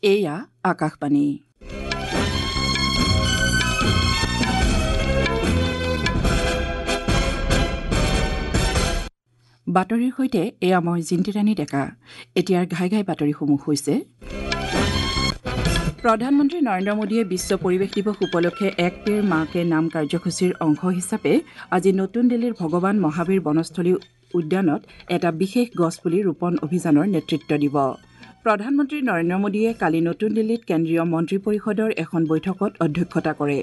এয়া আকাশবাণী। বাতৰিৰ সৈতে এয়া মই জিন্তিৰাণী ডেকা। এতিয়াৰ ঘাই ঘাই বাতৰিসমূহ হৈছে: প্ৰধানমন্ত্ৰী নৰেন্দ্ৰ মোদীয়ে বিশ্ব পৰিৱেশ দিৱস উপলক্ষে এক পেড় মা কে নাম কাৰ্যসূচীৰ অংশ হিচাপে আজি নতুন দিল্লীৰ ভগৱান মহাবীৰ বনস্থলী উদ্যানত এটা বিশেষ গছপুলি ৰোপণ অভিযানৰ নেতৃত্ব দিব। প্ৰধানমন্ত্ৰী নৰেন্দ্ৰ মোদীয়ে কালি নতুন দিল্লীত কেন্দ্ৰীয় মন্ত্ৰী পৰিষদৰ এখন বৈঠকত অধ্যক্ষতা কৰে।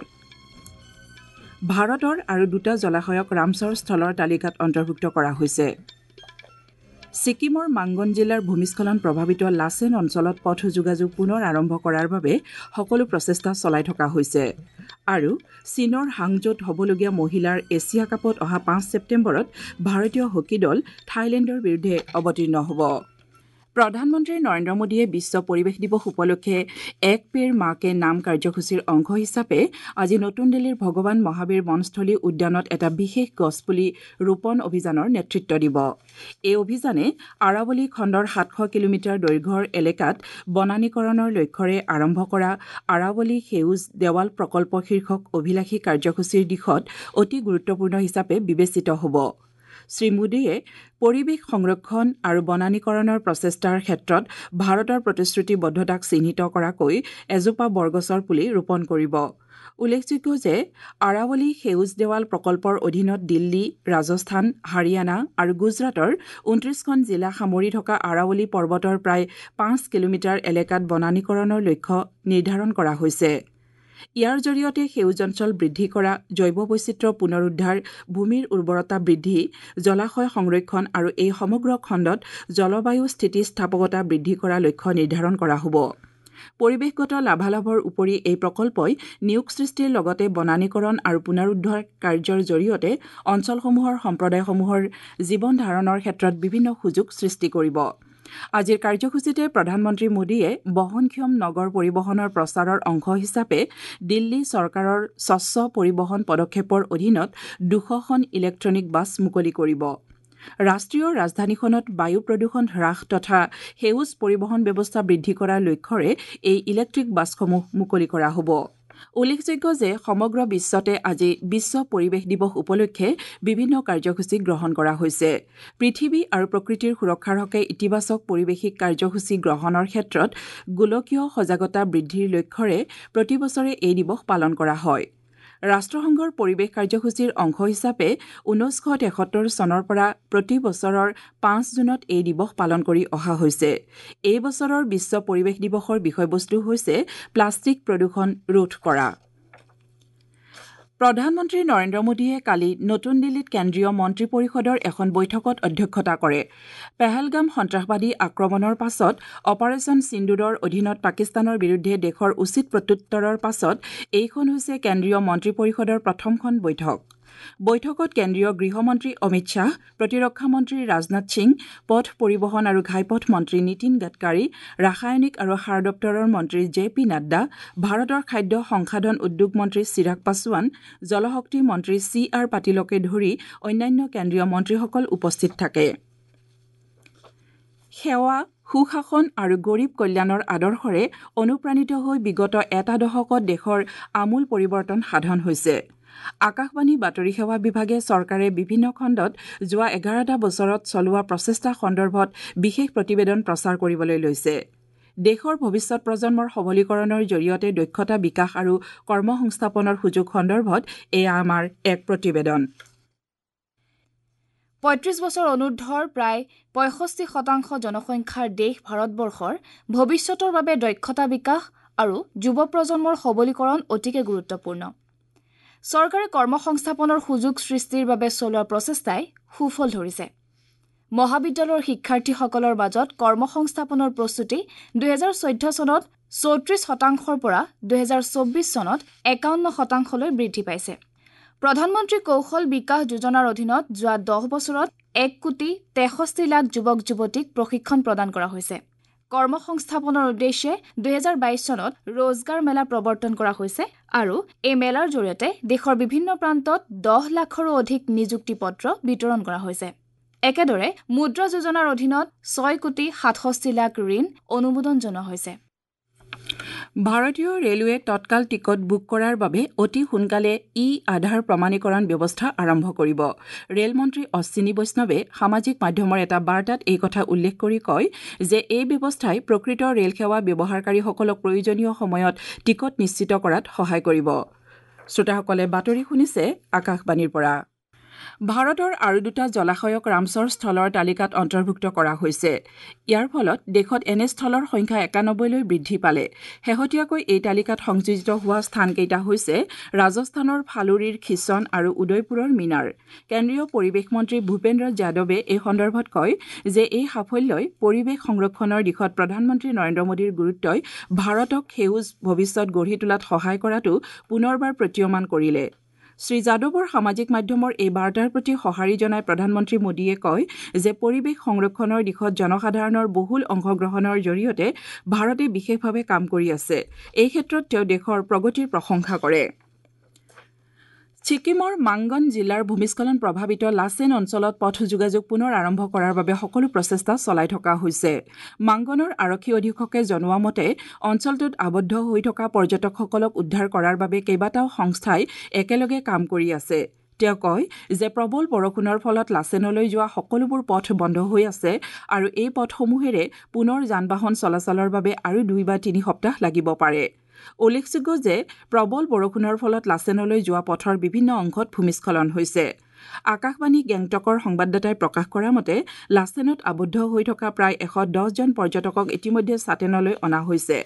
ভাৰতৰ আৰু দুটা জলাশয়ক ৰামচৰ স্থলৰ তালিকাত অন্তৰ্ভুক্ত কৰা হৈছে। ছিকিমৰ মাংগন জিলাৰ ভূমিস্খলন প্ৰভাৱিত লাচেন অঞ্চলত পথ যোগাযোগ পুনৰ আৰম্ভ কৰাৰ বাবে সকলো প্ৰচেষ্টা চলাই থকা হৈছে। আৰু চীনৰ হাংজৌত হ'বলগীয়া মহিলাৰ এছিয়া কাপত অহা 5 ছেপ্টেম্বৰত ভাৰতীয় হকী দল থাইলেণ্ডৰ বিৰুদ্ধে অৱতীৰ্ণ হ'ব। প্ৰধানমন্ত্ৰী নৰেন্দ্ৰ মোদীয়ে বিশ্ব পৰিৱেশ দিৱস উপলক্ষে এক পেড় মা কে নাম কাৰ্যসূচীৰ অংশ হিচাপে আজি নতুন দিল্লীৰ ভগৱান মহাবীৰ বনস্থলী উদ্যানত এটা বিশেষ গছপুলি ৰোপণ অভিযানৰ নেতৃত্ব দিব। এই অভিযানে আৰাৱলী খণ্ডৰ 700 কিলোমিটাৰ দৈৰ্ঘ্যৰ এলেকাত বনানীকৰণৰ লক্ষ্যৰে আৰম্ভ কৰা আৰাৱলী সেউজ দেৱাল প্ৰকল্প শীৰ্ষক অভিলাষী কাৰ্যসূচীৰ দিশত অতি গুৰুত্বপূৰ্ণ হিচাপে বিবেচিত হ'ব। শ্ৰী মোদীয়ে পৰিৱেশ সংৰক্ষণ আৰু বনানীকৰণৰ প্ৰচেষ্টাৰ ক্ষেত্ৰত ভাৰতৰ প্ৰতিশ্ৰুতিবদ্ধতাক চিহ্নিত কৰাকৈ এজোপা বৰগছৰ পুলি ৰোপণ কৰিব। উল্লেখযোগ্য যে আৰাৱলী সেউজ দেৱাল প্ৰকল্পৰ অধীনত দিল্লী, ৰাজস্থান, হাৰিয়ানা আৰু গুজৰাটৰ 29খন জিলা সামৰি থকা আৰাৱলী পৰ্বতৰ প্ৰায় 5 কিলোমিটাৰ এলেকাত বনানীকৰণৰ লক্ষ্য নিৰ্ধাৰণ কৰা হৈছে। ইয়াৰ জৰিয়তে সেউজ অঞ্চল বৃদ্ধি কৰা, জৈৱ বৈচিত্ৰ্য পুনৰুদ্ধাৰ, ভূমিৰ উৰ্বৰতা বৃদ্ধি, জলাশয় সংৰক্ষণ আৰু এই সমগ্ৰ খণ্ডত জলবায়ু স্থিতিস্থাপকতা বৃদ্ধি কৰা লক্ষ্য নিৰ্ধাৰণ কৰা হ'ব। পৰিৱেশগত লাভালাভৰ উপৰি এই প্ৰকল্পই নিয়োগ সৃষ্টিৰ লগতে বনানীকৰণ আৰু পুনৰুদ্ধাৰ কাৰ্যৰ জৰিয়তে অঞ্চলসমূহৰ সম্প্ৰদায়সমূহৰ জীৱন ধাৰণৰ ক্ষেত্ৰত বিভিন্ন সুযোগ সৃষ্টি কৰিব। আজিৰ কাৰ্যসূচীতে প্ৰধানমন্ত্ৰী মোদীয়ে বহনক্ষম নগৰ পৰিবহণৰ প্ৰচাৰৰ অংশ হিচাপে দিল্লী চৰকাৰৰ স্বচ্ছ পৰিবহণ পদক্ষেপৰ অধীনত 200খন ইলেক্ট্ৰনিক বাছ মুকলি কৰিব। ৰাষ্ট্ৰীয় ৰাজধানীখনত বায়ু প্ৰদূষণ হ্ৰাস তথা সেউজ পৰিবহণ ব্যৱস্থা বৃদ্ধি কৰাৰ লক্ষ্যৰে এই ইলেক্ট্ৰিক বাছসমূহ মুকলি কৰা হ'ব। উল্লেখযোগ্য যে সমগ্ৰ বিশ্বতে আজি বিশ্ব পৰিৱেশ দিৱস উপলক্ষে বিভিন্ন কাৰ্যসূচী গ্ৰহণ কৰা হৈছে। পৃথিৱী আৰু প্ৰকৃতিৰ সুৰক্ষাৰ হকে ইতিবাচক পৰিৱেশিক কাৰ্যসূচী গ্ৰহণৰ ক্ষেত্ৰত গোলকীয় সজাগতা বৃদ্ধিৰ লক্ষ্যৰে প্ৰতি বছৰে এই দিৱস পালন কৰা হয়। ৰাষ্ট্ৰসংঘৰ পৰিৱেশ কাৰ্যসূচীৰ অংশ হিচাপে 1973 চনৰ পৰা প্ৰতি বছৰৰ 5 জুনত এই দিৱস পালন কৰি অহা হৈছে। এই বছৰৰ বিশ্ব পৰিৱেশ দিৱসৰ বিষয়বস্তু হৈছে প্লাষ্টিক প্ৰদূষণ ৰোধ কৰা। প্ৰধানমন্ত্ৰী নৰেন্দ্ৰ মোদীয়ে কালি নতুন দিল্লীত কেন্দ্ৰীয় মন্ত্ৰী পৰিষদৰ এখন বৈঠকত অধ্যক্ষতা কৰে। পেহেলগাম সন্ত্ৰাসবাদী আক্ৰমণৰ পাছত অপাৰেচন সিন্দুৰৰ অধীনত পাকিস্তানৰ বিৰুদ্ধে দেশৰ উচিত প্ৰত্যুত্তৰৰ পাছত এইখন হৈছে কেন্দ্ৰীয় মন্ত্ৰী পৰিষদৰ প্ৰথমখন বৈঠক। বৈঠকত কেন্দ্ৰীয় গৃহমন্ত্ৰী অমিত শ্বাহ, প্ৰতিৰক্ষা মন্ত্ৰী ৰাজনাথ সিং, পথ পৰিবহণ আৰু ঘাইপথ মন্ত্ৰী নীতিন গাডকাৰী, ৰাসায়নিক আৰু সাৰ দপ্তৰৰ মন্ত্ৰী জে পি নাড্ডা, ভাৰতৰ খাদ্য সংসাধন উদ্যোগ মন্ত্ৰী চিৰাগ পাছোৱান, জলশক্তি মন্ত্ৰী চি আৰ পাটিলকে ধৰি অন্যান্য কেন্দ্ৰীয় মন্ত্ৰীসকল উপস্থিত থাকে। সেৱা, সুশাসন আৰু গৰীব কল্যাণৰ আদৰ্শৰে অনুপ্ৰাণিত হৈ বিগত এটা দশকত দেশৰ আমূল পৰিৱৰ্তন সাধন হৈছে। আকাশবাণী বাতৰি সেৱা বিভাগে চৰকাৰে বিভিন্ন খণ্ডত যোৱা 11টা বছৰত চলোৱা প্ৰচেষ্টা সন্দৰ্ভত বিশেষ প্ৰতিবেদন প্ৰচাৰ কৰিবলৈ লৈছে। দেশৰ ভৱিষ্যত প্ৰজন্মৰ সবলীকৰণৰ জৰিয়তে দক্ষতা বিকাশ আৰু কৰ্মসংস্থাপনৰ সুযোগ সন্দৰ্ভত এয়া আমাৰ এক প্ৰতিবেদন। 35 বছৰ অনুৰ্ধৰ প্ৰায় 65% জনসংখ্যাৰ দেশ ভাৰতবৰ্ষৰ ভৱিষ্যতৰ বাবে দক্ষতা বিকাশ আৰু যুৱ প্ৰজন্মৰ সবলীকৰণ অতিকে গুৰুত্বপূৰ্ণ। চৰকাৰে কৰ্মসংস্থাপনৰ সুযোগ সৃষ্টিৰ বাবে চলোৱা প্ৰচেষ্টাই সুফল ধৰিছে। মহাবিদ্যালয়ৰ শিক্ষাৰ্থীসকলৰ মাজত কৰ্মসংস্থাপনৰ প্ৰস্তুতি 2014 চনত 34%ৰ পৰা 2024 চনত 51%লৈ বৃদ্ধি পাইছে। প্ৰধানমন্ত্ৰী কৌশল বিকাশ যোজনাৰ অধীনত যোৱা 10 বছৰত 1,63,00,000 যুৱক যুৱতীক প্ৰশিক্ষণ প্ৰদান কৰা হৈছে। কৰ্মসংস্থাপনৰ উদ্দেশ্যে 2022 চনত ৰোজগাৰ মেলা প্ৰৱৰ্তন কৰা হৈছে আৰু এই মেলাৰ জৰিয়তে দেশৰ বিভিন্ন প্ৰান্তত 10 লাখৰো অধিক নিযুক্তি পত্ৰ বিতৰণ কৰা হৈছে। একেদৰে মুদ্ৰা যোজনাৰ অধীনত 6,67,00,000 ঋণ অনুমোদন জনোৱা হৈছে। ভাৰতীয় ৰেলৱে তৎকাল টিকট বুক কৰাৰ বাবে অতি সোনকালে ই আধাৰ প্ৰমাণীকৰণ ব্যৱস্থা আৰম্ভ কৰিব। ৰেল মন্ত্ৰী অশ্বিনী বৈষ্ণৱে সামাজিক মাধ্যমৰ এটা বাৰ্তাত এই কথা উল্লেখ কৰি কয় যে এই ব্যৱস্থাই প্ৰকৃত ৰেলসেৱা ব্যৱহাৰকাৰীসকলক প্ৰয়োজনীয় সময়ত টিকট নিশ্চিত কৰাত সহায় কৰিব। শ্ৰোতাসকলে বাতৰি শুনিছে আকাশবাণীৰ পৰা। ভাৰতৰ আৰু দুটা জলাশয়ক ৰামচৰ স্থলৰ তালিকাত অন্তৰ্ভুক্ত কৰা হৈছে। ইয়াৰ ফলত দেশত এনে স্থলৰ সংখ্যা ৯১লৈ বৃদ্ধি পালে। শেহতীয়াকৈ এই তালিকাত সংযোজিত হোৱা স্থানকেইটা হৈছে ৰাজস্থানৰ ফালুৰীৰ খিচন আৰু উদয়পুৰৰ মিনাৰ। কেন্দ্ৰীয় পৰিৱেশ মন্ত্ৰী ভূপেন্দ্ৰ যাদৱে এই সন্দৰ্ভত কয় যে এই সাফল্যই পৰিৱেশ সংৰক্ষণৰ দিশত প্ৰধানমন্ত্ৰী নৰেন্দ্ৰ মোদীৰ গুৰুত্বই ভাৰতক সেউজ ভৱিষ্যত গঢ়ি তোলাত সহায় কৰাটো পুনৰবাৰ প্ৰতীয়মান কৰিলে। শ্ৰী যাদৱৰ সামাজিক মাধ্যমৰ এই বাৰ্তাৰ প্ৰতি সঁহাৰি জনাই প্ৰধানমন্ত্ৰী মোদীয়ে কয় যে পৰিৱেশ সংৰক্ষণৰ দিশত জনসাধাৰণৰ বহুল অংশগ্ৰহণৰ জৰিয়তে ভাৰতে বিশেষভাৱে কাম কৰি আছে। এই ক্ষেত্ৰত তেওঁ দেশৰ প্ৰগতিৰ প্ৰশংসা কৰে। ছিকিমৰ মাংগন জিলাৰ ভূমিস্খলন প্ৰভাৱিত লাচেন অঞ্চলত পথ যোগাযোগ পুনৰ আৰম্ভ কৰাৰ বাবে সকলো প্ৰচেষ্টা চলাই থকা হৈছে। মাংগনৰ আৰক্ষী অধীক্ষকে জনোৱা মতে অঞ্চলটোত আবদ্ধ হৈ থকা পৰ্যটকসকলক উদ্ধাৰ কৰাৰ বাবে কেইবাটাও সংস্থাই একেলগে কাম কৰি আছে। তেওঁ কয় যে প্ৰবল বৰষুণৰ ফলত লাচেনলৈ যোৱা সকলোবোৰ পথ বন্ধ হৈ আছে আৰু এই পথসমূহেৰে পুনৰ যান বাহন চলাচলৰ বাবে আৰু ২ বা ৩ সপ্তাহ লাগিব পাৰে। উল্লেখযোগ্য যে প্ৰবল বৰষুণৰ ফলত লাচেনলৈ যোৱা পথৰ বিভিন্ন অংশত ভূমিস্খলন হৈছে। আকাশবাণী গেংটকৰ সংবাদদাতাই প্ৰকাশ কৰা মতে লাচেনত আবদ্ধ হৈ থকা প্ৰায় ১১০ জন পৰ্যটকক ইতিমধ্যে চাটেনলৈ অনা হৈছে।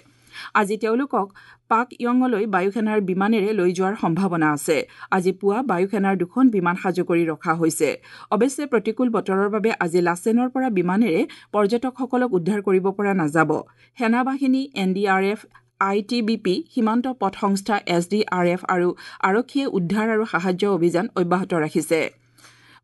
আজি তেওঁলোকক পাকয়ঙলৈ বায়ুসেনাৰ বিমানেৰে লৈ যোৱাৰ সম্ভাৱনা আছে। আজি পুৱা বায়ুসেনাৰ ২খন বিমান সাজু কৰি ৰখা হৈছে। অৱশ্যে প্ৰতিকূল বতৰৰ বাবে আজি লাচেনৰ পৰা বিমানেৰে পৰ্যটকসকলক উদ্ধাৰ কৰিব পৰা নাযাব। সেনাবাহিনী, NDRF, ITBP, সীমান্ত পথ সংস্থা SDRF আৰু আৰক্ষীয়ে উদ্ধাৰ আৰু সাহায্য অভিযান অব্যাহত ৰাখিছে।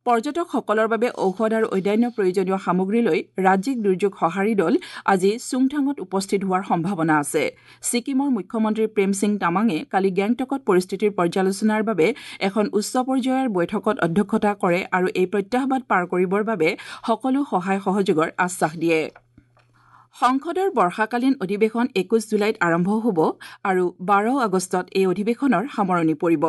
পৰ্যটকসকলৰ বাবে ঔষধ আৰু অন্যান্য প্ৰয়োজনীয় সামগ্ৰী লৈ ৰাজ্যিক দুৰ্যোগ সঁহাৰি দল আজি চুংথাঙত উপস্থিত হোৱাৰ সম্ভাৱনা আছে। ছিকিমৰ মুখ্যমন্ত্ৰী প্ৰেম সিং তামাঙে কালি গেংটকত পৰিস্থিতিৰ পৰ্যালোচনাৰ বাবে এখন উচ্চ পৰ্যায়ৰ বৈঠকত অধ্যক্ষতা কৰে আৰু এই প্ৰত্যাহ্বান পাৰ কৰিবৰ বাবে সকলো সহায় সহযোগৰ আশ্বাস দিয়ে। সংসদৰ বৰ্ষাকালীন অধিৱেশন ২১ জুলাইত আৰম্ভ হ'ব আৰু ১২ আগষ্টত এই অধিৱেশনৰ সামৰণি পৰিব।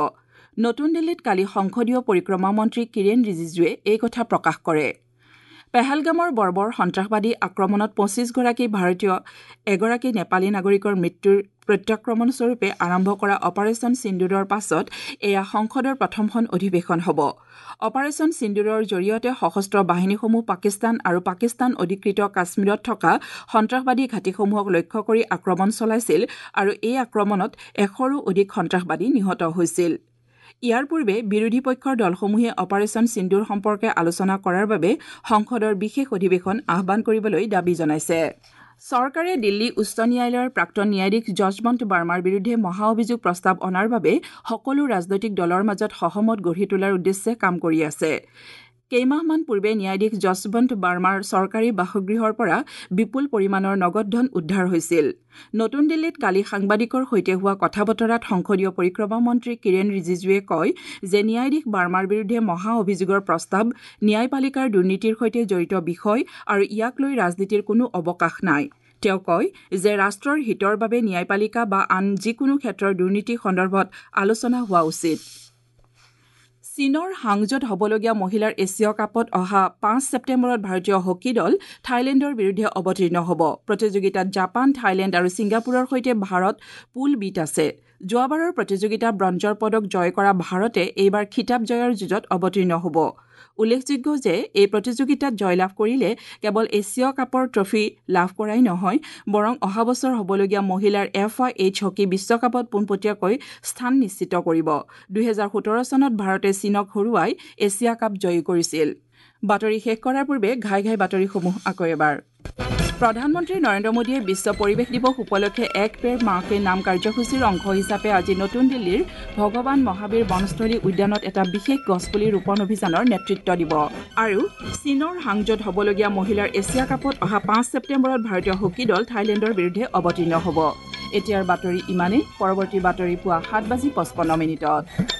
নতুন দিল্লীত কালি সংসদীয় পৰিক্ৰমা মন্ত্ৰী কিৰেণ ৰিজিজুৱে এই কথা প্ৰকাশ কৰে। পেহেলগামৰ বৰ্বৰ সন্ত্ৰাসবাদী আক্ৰমণত ২৫ গৰাকী ভাৰতীয়, এগৰাকী নেপালী নাগৰিকৰ মৃত্যুৰ প্ৰত্যাক্ৰমণস্বৰূপে আৰম্ভ কৰা অপাৰেচন সিন্দুৰৰ পাছত এয়া সংসদৰ প্ৰথমখন অধিৱেশন হ'ব। অপাৰেচন সিন্দুৰৰ জৰিয়তে সশস্ত্ৰ বাহিনীসমূহ পাকিস্তান আৰু পাকিস্তান অধিকৃত কাশ্মীৰত থকা সন্ত্ৰাসবাদী ঘাটিসমূহক লক্ষ্য কৰি আক্ৰমণ চলাইছিল আৰু এই আক্ৰমণত ১০০ৰো অধিক সন্ত্ৰাসবাদী নিহত হৈছিল। ইয়াৰ পূৰ্বে বিৰোধী পক্ষৰ দলসমূহে অপাৰেচন সিন্দুৰ সম্পৰ্কে আলোচনা কৰাৰ বাবে সংসদৰ বিশেষ অধিৱেশন আহ্বান কৰিবলৈ দাবী জনাইছে। চৰকাৰে দিল্লী উচ্চ ন্যায়ালয়ৰ প্ৰাক্তন ন্যায়াধীশ যশৱন্ত বাৰ্মাৰ বিৰুদ্ধে মহা অভিযোগ প্ৰস্তাৱ অনাৰ বাবে সকলো ৰাজনৈতিক দলৰ মাজত সহমত গঢ়ি তোলাৰ উদ্দেশ্যে কাম কৰি আছে। কেইমাহমান পূৰ্বে ন্যায়াধীশ যশৱন্ত বাৰ্মাৰ চৰকাৰী বাসগৃহৰ পৰা বিপুল পৰিমাণৰ নগদ ধন উদ্ধাৰ হৈছিল। নতুন দিল্লীত কালি সাংবাদিকৰ সৈতে হোৱা কথা বতৰাত সংসদীয় পৰিক্ৰমা মন্ত্ৰী কিৰেণ ৰিজিজুৱে কয় যে ন্যায়াধীশ বাৰ্মাৰ বিৰুদ্ধে মহা অভিযোগৰ প্ৰস্তাৱ ন্যায়পালিকাৰ দুৰ্নীতিৰ সৈতে জড়িত বিষয় আৰু ইয়াক লৈ ৰাজনীতিৰ কোনো অৱকাশ নাই। তেওঁ কয় যে ৰাষ্ট্ৰৰ হিতৰ বাবে ন্যায়পালিকা বা আন যিকোনো ক্ষেত্ৰৰ দুৰ্নীতি সন্দৰ্ভত আলোচনা হোৱা উচিত। চীনৰ হাংজোত হ'বলগীয়া মহিলাৰ এছিয়া কাপত অহা ৫ ছেপ্টেম্বৰত ভাৰতীয় হকী দল থাইলেণ্ডৰ বিৰুদ্ধে অৱতীৰ্ণ হ'ব। প্ৰতিযোগিতাত জাপান, থাইলেণ্ড আৰু ছিংগাপুৰৰ সৈতে ভাৰত পুল বিত আছে। যোৱাবাৰৰ প্ৰতিযোগিতা ব্ৰঞ্জৰ পদক জয় কৰা ভাৰতে এইবাৰ খিতাপ জয়ৰ যুঁজত অৱতীৰ্ণ হ'ব। উল্লেখযোগ্য যে এই প্ৰতিযোগিতাত জয়লাভ কৰিলে কেৱল এছিয়া কাপৰ ট্ৰফী লাভ কৰাই নহয়, বৰং অহা বছৰ হ'বলগীয়া মহিলাৰ FIH hockey বিশ্বকাপত পোনপটীয়াকৈ স্থান নিশ্চিত কৰিব। ২০১৭ চনত ভাৰতে চীনক হৰুৱাই এছিয়া কাপ জয়ী কৰিছিল। বাতৰি শেষ কৰাৰ পূৰ্বে ঘাই ঘাই বাতৰিসমূহ আকৌ এবাৰ। প্ৰধানমন্ত্ৰী নৰেন্দ্ৰ মোদীয়ে বিশ্ব পৰিৱেশ দিৱস উপলক্ষে এক পেৰ মা কে নাম কাৰ্যসূচীৰ অংশ হিচাপে আজি নতুন দিল্লীৰ ভগৱান মহাবীৰ বনস্থলী উদ্যানত এটা বিশেষ গছপুলি ৰোপণ অভিযানৰ নেতৃত্ব দিব। আৰু চীনৰ হাংজোত হ'বলগীয়া মহিলাৰ এছিয়া কাপত অহা ৫ ছেপ্টেম্বৰত ভাৰতীয় হকী দল থাইলেণ্ডৰ বিৰুদ্ধে অৱতীৰ্ণ হ'ব। এতিয়াৰ বাতৰি ইমানেই। পৰৱৰ্তী বাতৰি পুৱা ৭:৫৫।